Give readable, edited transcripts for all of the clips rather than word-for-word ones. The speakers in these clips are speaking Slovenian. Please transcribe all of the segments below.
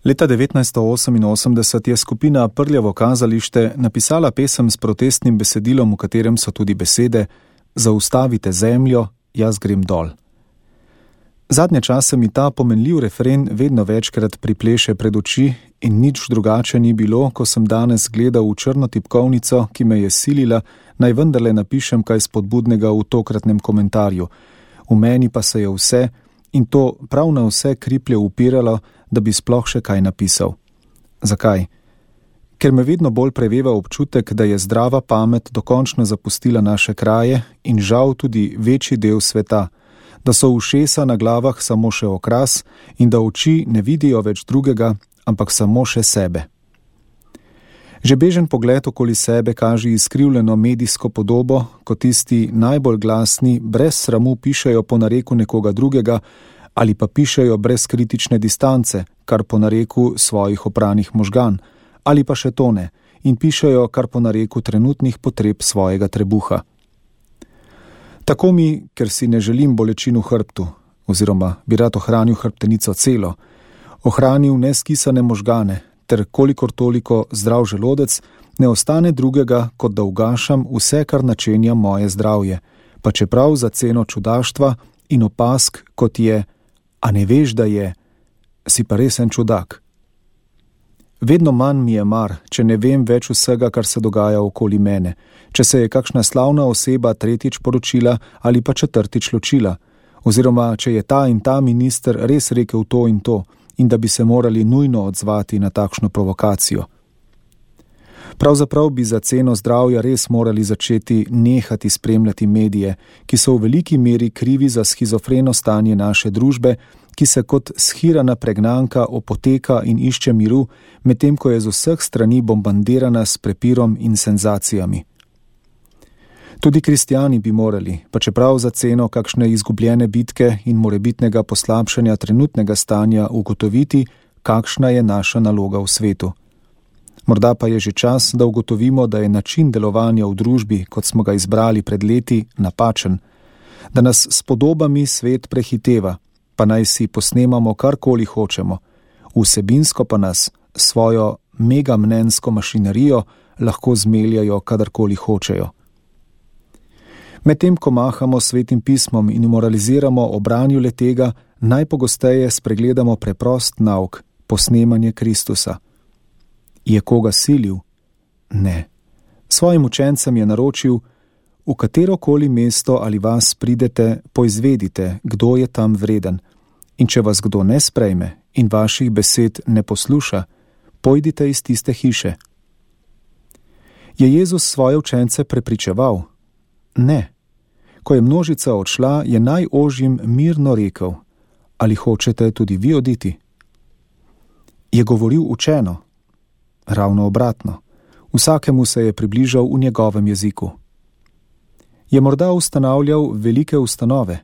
Leta 1988 je skupina Prljavo kazalište napisala pesem s protestnim besedilom, v katerem so tudi besede Zaustavite zemljo, jaz grem dol. Zadnje čase mi ta pomenljiv refren vedno večkrat pripleše pred oči in nič drugače ni bilo, ko sem danes gledal v črno tipkovnico, ki me je silila, naj vendarle napišem kaj spodbudnega v tokratnem komentarju. V meni pa se je vse, in to prav na vse kriplje upiralo, da bi sploh še kaj napisal. Zakaj? Ker me vedno bolj preveva občutek, da je zdrava pamet dokončno zapustila naše kraje in žal tudi večji del sveta, da so ušesa na glavah samo še okras in da oči ne vidijo več drugega, ampak samo še sebe. Že bežen pogled okoli sebe kaže izkrivljeno medijsko podobo, ko tisti najbolj glasni brez sramu pišejo po nareku nekoga drugega ali pa pišejo brez kritične distance, kar po nareku svojih opranih možgan, ali pa še to ne, in pišejo kar po nareku trenutnih potreb svojega trebuha. Tako mi, ker si ne želim bolečin v hrbtu, oziroma bi rad ohranil hrbtenico celo, ohranil neskisane možgane, ter kolikor toliko zdrav želodec, ne ostane drugega, kot da ugašam vse, kar načenja moje zdravje, pa čeprav za ceno čudaštva in opask, kot je, a ne veš, da je, si pa resen čudak. Vedno manj mi je mar, če ne vem več vsega, kar se dogaja okoli mene, če se je kakšna slavna oseba tretjič poročila ali pa četrtič ločila, oziroma če je ta in ta minister res rekel to in da bi se morali nujno odzvati na takšno provokacijo. Pravzaprav bi za ceno zdravja res morali začeti nehati spremljati medije, ki so v veliki meri krivi za schizofreno stanje naše družbe, ki se kot shirana pregnanka opoteka in išče miru, medtem ko je z vseh strani bombardirana s prepirom in senzacijami. Tudi kristjani bi morali, pa čeprav za ceno kakšne izgubljene bitke in morebitnega poslabšanja trenutnega stanja ugotoviti, kakšna je naša naloga v svetu. Morda pa je že čas, da ugotovimo, da je način delovanja v družbi, kot smo ga izbrali pred leti, napačen, da nas s podobami svet prehiteva, pa naj si posnemamo karkoli hočemo, vsebinsko pa nas svojo megamnenjsko mašinerijo lahko zmeljajo kadarkoli hočejo. Medtem ko mahamo svetim pismom in moraliziramo o branju letega, najpogosteje spregledamo preprost nauk, posnemanje Kristusa. Je koga silil? Ne. Svojim učencem je naročil, v katerokoli mesto ali vas pridete, poizvedite, kdo je tam vreden. In če vas kdo ne sprejme in vaših besed ne posluša, pojdite iz tiste hiše. Je Jezus svoje učence prepričeval? Ne. Ko je množica odšla, je najožjim mirno rekel, ali hočete tudi vi oditi? Je govoril učeno? Ravno obratno. Vsakemu se je približal v njegovem jeziku. Je morda ustanavljal velike ustanove?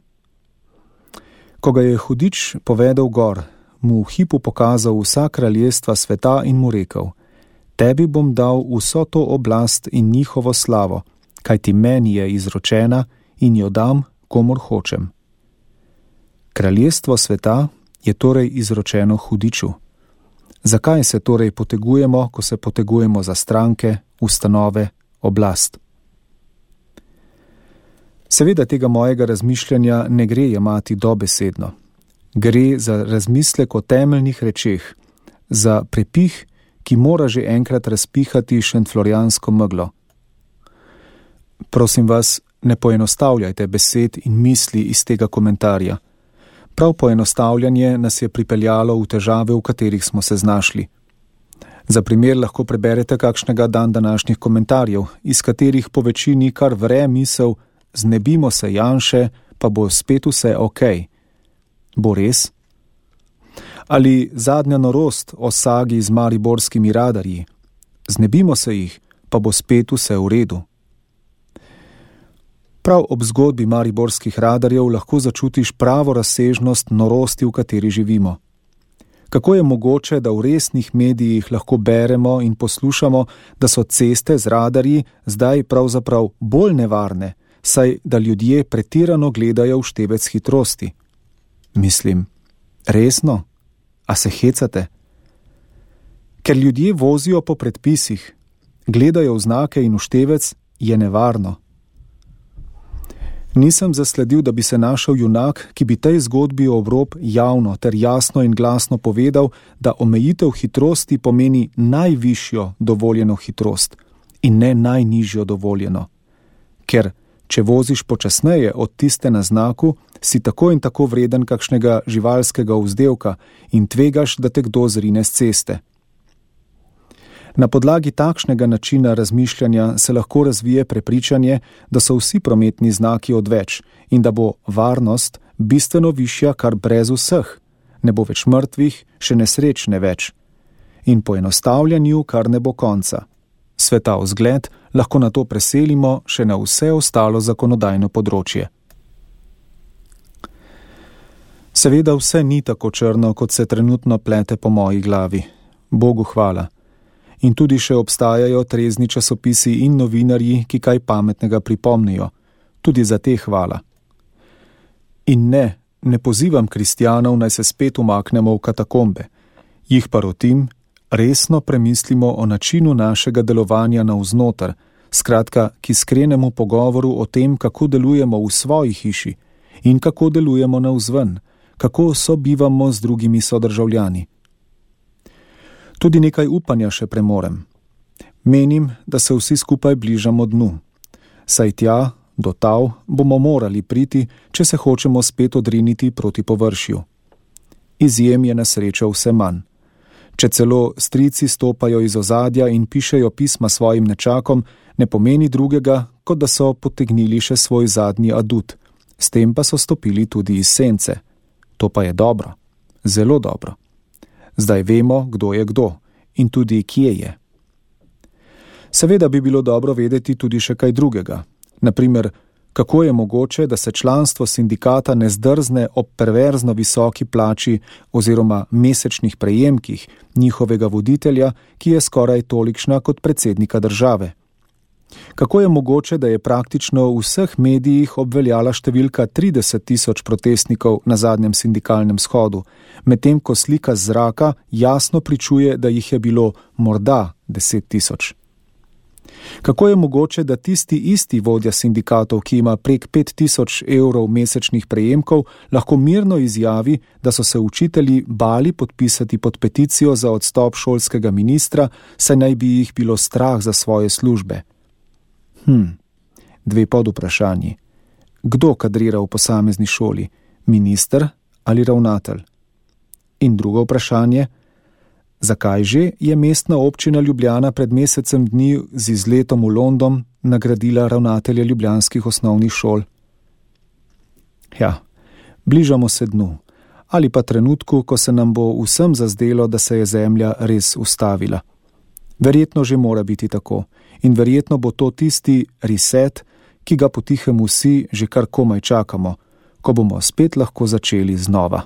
Ko ga je hudič povedal gor, mu v hipu pokazal vsa kraljestva sveta in mu rekel, tebi bom dal vso to oblast in njihovo slavo, kajti meni je izročena in jo dam, komur hočem. Kraljestvo sveta je torej izročeno hudiču. Zakaj se torej potegujemo, ko se potegujemo za stranke, ustanove, oblast? Seveda tega mojega razmišljanja ne gre jemati dobesedno. Gre za razmislek o temeljnih rečeh, za prepih, ki mora že enkrat razpihati šentflorjansko meglo. Prosim vas, ne poenostavljajte besed in misli iz tega komentarja. Prav poenostavljanje nas je pripeljalo v težave, v katerih smo se znašli. Za primer lahko preberete kakšnega današnjih komentarjev, iz katerih po večini kar vre misel, znebimo se Janše, pa bo spet vse okej. Bo res? Ali zadnja norost o sagi z mariborskimi radarji? Znebimo se jih, pa bo spet vse v redu. Prav ob zgodbi mariborskih radarjev lahko začutiš pravo razsežnost norosti, v kateri živimo. Kako je mogoče, da v resnih medijih lahko beremo in poslušamo, da so ceste z radarji zdaj pravzaprav bolj nevarne, saj da ljudje pretirano gledajo v števec hitrosti? Mislim, resno? A se hecate? Ker ljudje vozijo po predpisih, gledajo v znake in v števec, je nevarno. Nisem zasledil, da bi se našel junak, ki bi tej zgodbi ob rob javno ter jasno in glasno povedal, da omejitev hitrosti pomeni najvišjo dovoljeno hitrost in ne najnižjo dovoljeno. Ker, če voziš počasneje od tiste na znaku, si tako in tako vreden kakšnega živalskega vzdevka in tvegaš, da te kdo zrine s ceste. Na podlagi takšnega načina razmišljanja se lahko razvije prepričanje, da so vsi prometni znaki odveč in da bo varnost bistveno višja kar brez vseh, ne bo več mrtvih, še nesreč ne več. In poenostavljanju kar ne bo konca. Sveta vzgled lahko na to preselimo še na vse ostalo zakonodajno področje. Seveda vse ni tako črno, kot se trenutno plete po moji glavi. Bogu hvala. In tudi še obstajajo trezni časopisi in novinarji, ki kaj pametnega pripomnijo. Tudi za te hvala. In ne pozivam kristjanov, naj se spet umaknemo v katakombe. Jih pa rotim, resno premislimo o načinu našega delovanja navznoter, skratka, ki skrenemo pogovoru o tem, kako delujemo v svoji hiši in kako delujemo navzven, kako sobivamo z drugimi sodržavljani. Tudi nekaj upanja še premorem. Menim, da se vsi skupaj bližamo dnu. Saj tja, do tav, bomo morali priti, če se hočemo spet odriniti proti površju. Izjem je na srečo vse manj. Če celo strici stopajo iz ozadja in pišejo pisma svojim nečakom, ne pomeni drugega, kot da so potegnili še svoj zadnji adut. S tem pa so stopili tudi iz sence. To pa je dobro. Zelo dobro. Zdaj vemo, kdo je kdo in tudi kje je. Seveda bi bilo dobro vedeti tudi še kaj drugega. Naprimer, kako je mogoče, da se članstvo sindikata ne zdrzne ob perverzno visoki plači oziroma mesečnih prejemkih njihovega voditelja, ki je skoraj tolikšna kot predsednika države. Kako je mogoče, da je praktično v vseh medijih obveljala številka 30.000 protestnikov na zadnjem sindikalnem shodu, medtem ko slika z zraka jasno pričuje, da jih je bilo morda 10.000. Kako je mogoče, da tisti isti vodja sindikatov, ki ima prek 5.000 evrov mesečnih prejemkov, lahko mirno izjavi, da so se učitelji bali podpisati pod peticijo za odstop šolskega ministra, saj naj bi jih bilo strah za svoje službe? Dve podvprašanji. Kdo kadrira v posamezni šoli? Minister ali ravnatelj? In drugo vprašanje. Zakaj že je mestna občina Ljubljana pred mesecem dni z izletom v London nagradila ravnatelja ljubljanskih osnovnih šol? Ja, bližamo se dnu. Ali pa trenutku, ko se nam bo vsem zazdelo, da se je zemlja res ustavila. Verjetno že mora biti tako. In verjetno bo to tisti reset, ki ga potihem vsi že kar komaj čakamo, ko bomo spet lahko začeli znova.